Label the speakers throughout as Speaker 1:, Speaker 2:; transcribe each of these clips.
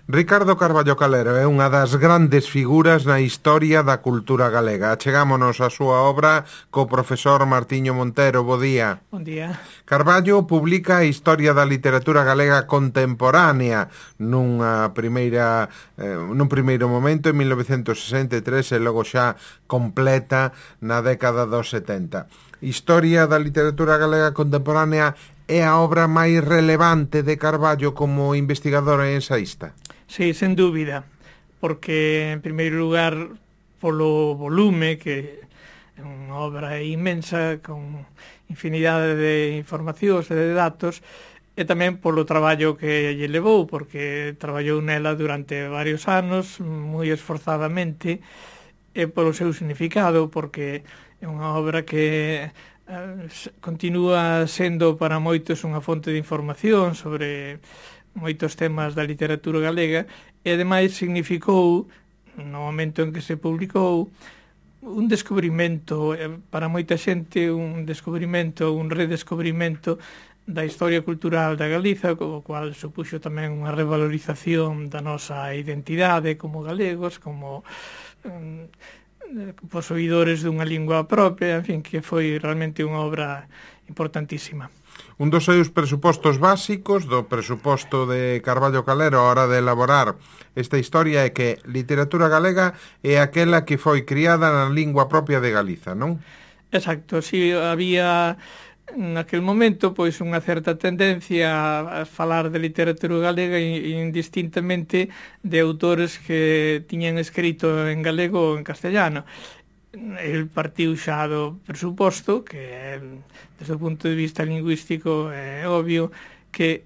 Speaker 1: Ricardo Carballo Calero é unha das grandes figuras na historia da cultura galega. Achegámonos a súa obra co profesor Martiño Montero. Bo día.
Speaker 2: Bon día.
Speaker 1: Carballo publica a historia da literatura galega contemporánea nun primeiro momento en 1963 e logo xa completa na década dos 70. Historia da literatura galega contemporánea é a obra máis relevante de Carballo como investigador e ensaísta?
Speaker 2: Sí, sen dúbida, porque, en primeiro lugar, polo volume, que é unha obra inmensa, con infinidade de informacións e de datos, e tamén polo traballo que lle levou, porque traballou nela durante varios anos, moi esforzadamente, e polo seu significado, porque é unha obra que continúa sendo para moitos unha fonte de información sobre moitos temas da literatura galega e ademais significou, no momento en que se publicou, un descubrimento, para moita xente, un redescubrimento da historia cultural da Galiza, co cual supuxo tamén unha revalorización da nosa identidade como galegos, como posuidores dunha lingua propia, en fin, que foi realmente unha obra importantísima.
Speaker 1: Un dos seus presupostos básicos, do presuposto de Carballo Calero a hora de elaborar esta historia, é que literatura galega é aquela que foi criada na lingua propia de Galiza, non?
Speaker 2: Exacto, si había naquel momento pois unha certa tendencia a falar de literatura galega indistintamente de autores que tiñan escrito en galego ou en castellano. El partiu xa do presuposto que desde o punto de vista lingüístico é obvio que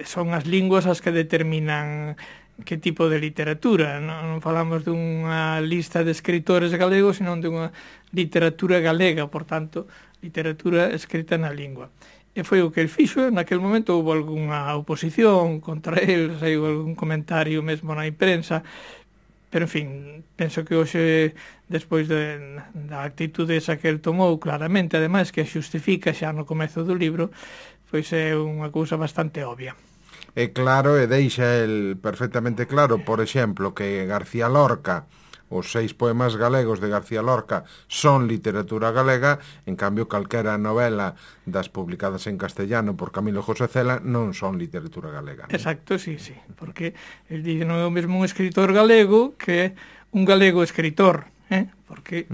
Speaker 2: son as linguas as que determinan que tipo de literatura. Non falamos dunha lista de escritores galegos, senón dunha literatura galega, por tanto, literatura escrita na lingua. E foi o que el fixo. Naquel momento houve algunha oposición contra el, saiu algún comentario mesmo na imprensa, pero, en fin, penso que hoxe, despois da actitude esa que el tomou, claramente, ademais, que xustifica xa no comezo do libro, pois é unha cousa bastante obvia.
Speaker 1: É claro, e deixa el perfectamente claro, por exemplo, que García Lorca, os 6 poemas galegos de García Lorca son literatura galega, en cambio calquera novela das publicadas en castellano por Camilo José Cela non son literatura galega, non?
Speaker 2: Exacto, sí, porque el di non é o mesmo un escritor galego que un galego escritor, porque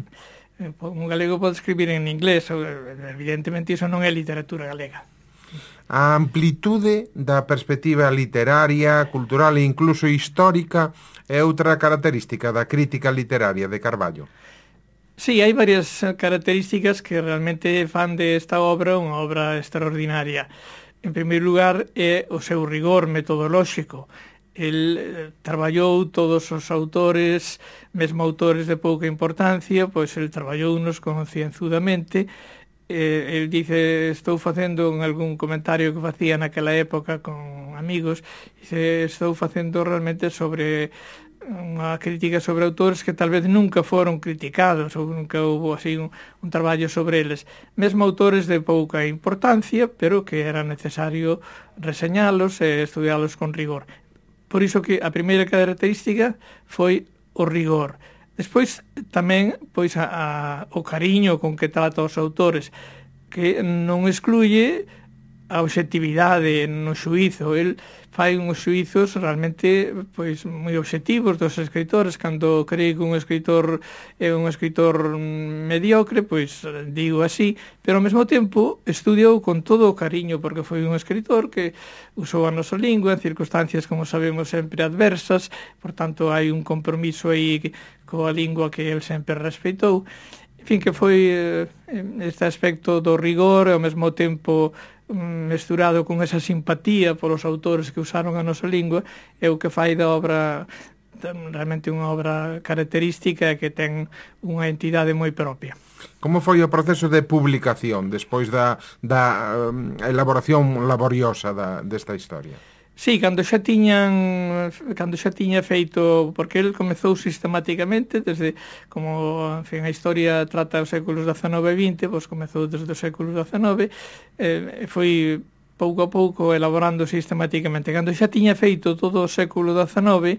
Speaker 2: un galego pode escribir en inglés, evidentemente iso non é literatura galega.
Speaker 1: A amplitude da perspectiva literaria, cultural e incluso histórica é outra característica da crítica literaria de Carballo.
Speaker 2: Sí, hai varias características que realmente fan desta obra unha obra extraordinaria. En primeiro lugar, é o seu rigor metodolóxico. El traballou todos os autores, mesmo autores de pouca importancia, pois el traballounos concienzudamente. El dice, estou facendo en algún comentario que facía naquela época con amigos, dice, estou facendo realmente sobre unha crítica sobre autores que tal vez nunca foron criticados ou nunca houve así un traballo sobre eles, mesmo autores de pouca importancia, pero que era necesario reseñalos e estudialos con rigor. Por iso que a primeira característica foi o rigor. Despois tamén pois o cariño con que trata os autores, que non excluye a obxectividade no xuízo. El fai uns xuízos realmente pois moi obxectivos dos escritores. Cando cree que un escritor é un escritor mediocre, pois digo así, pero ao mesmo tempo estudiou con todo o cariño, porque foi un escritor que usou a nosa lingua en circunstancias, como sabemos, sempre adversas, por tanto hai un compromiso aí coa lingua que el sempre respeitou. En fin, que foi este aspecto do rigor e ao mesmo tempo mesturado con esa simpatía polos autores que usaron a nosa lingua, é o que fai da obra realmente unha obra característica que ten unha entidade moi propia.
Speaker 1: Como foi o proceso de publicación despois da elaboración laboriosa desta historia?
Speaker 2: Sí, cando xa tiña feito, porque el comezou sistemáticamente desde, como, en fin, a historia trata os séculos XIX e XX, pois comezou desde os séculos XIX, foi pouco a pouco elaborando sistematicamente. Cando xa tiña feito todo o século XIX,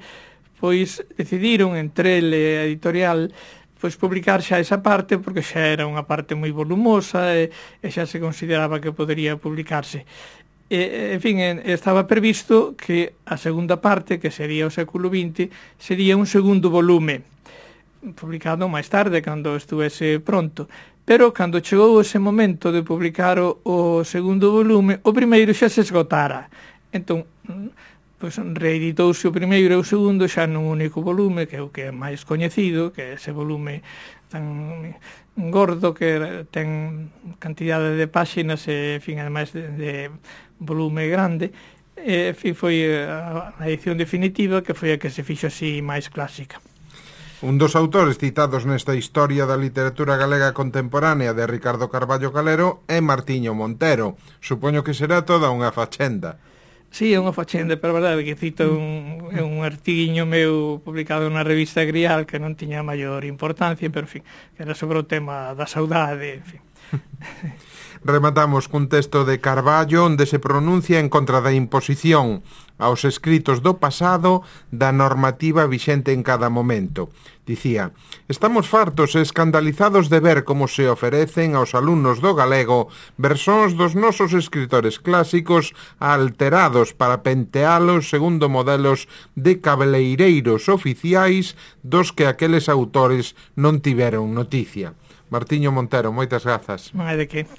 Speaker 2: pois decidiron entre el e a editorial pois publicar xa esa parte, porque xa era unha parte moi volumosa e xa se consideraba que podería publicarse. En fin, estaba previsto que a segunda parte, que sería o século XX, sería un segundo volume, publicado máis tarde, cando estuvese pronto. Pero, cando chegou ese momento de publicar o segundo volume, o primeiro xa se esgotara. Entón, pois reeditouse o primeiro e o segundo xa nun único volume, que é o que é máis coñecido, que é ese volume tan gordo que ten cantidade de páxinas e, en fin, ademais de volume grande. E, en fin, foi a edición definitiva, que foi a que se fixo así máis clásica.
Speaker 1: Un dos autores citados nesta historia da literatura galega contemporánea de Ricardo Carballo Calero é Martiño Montero. Supoño que será toda unha fachenda.
Speaker 2: Sí, é unha fachenda, pero a verdade que cito un artiguiño meu publicado na revista Grial que non tiña maior importancia, pero, en fin, que era sobre o tema da saudade, en fin.
Speaker 1: Rematamos cun texto de Carballo onde se pronuncia en contra da imposición aos escritos do pasado da normativa vixente en cada momento. Dicía: estamos fartos e escandalizados de ver como se oferecen aos alumnos do galego versóns dos nosos escritores clásicos alterados para pentealos segundo modelos de cabeleireiros oficiais dos que aqueles autores non tiveron noticia. Martiño Montero, moitas grazas.
Speaker 2: Non hai de que.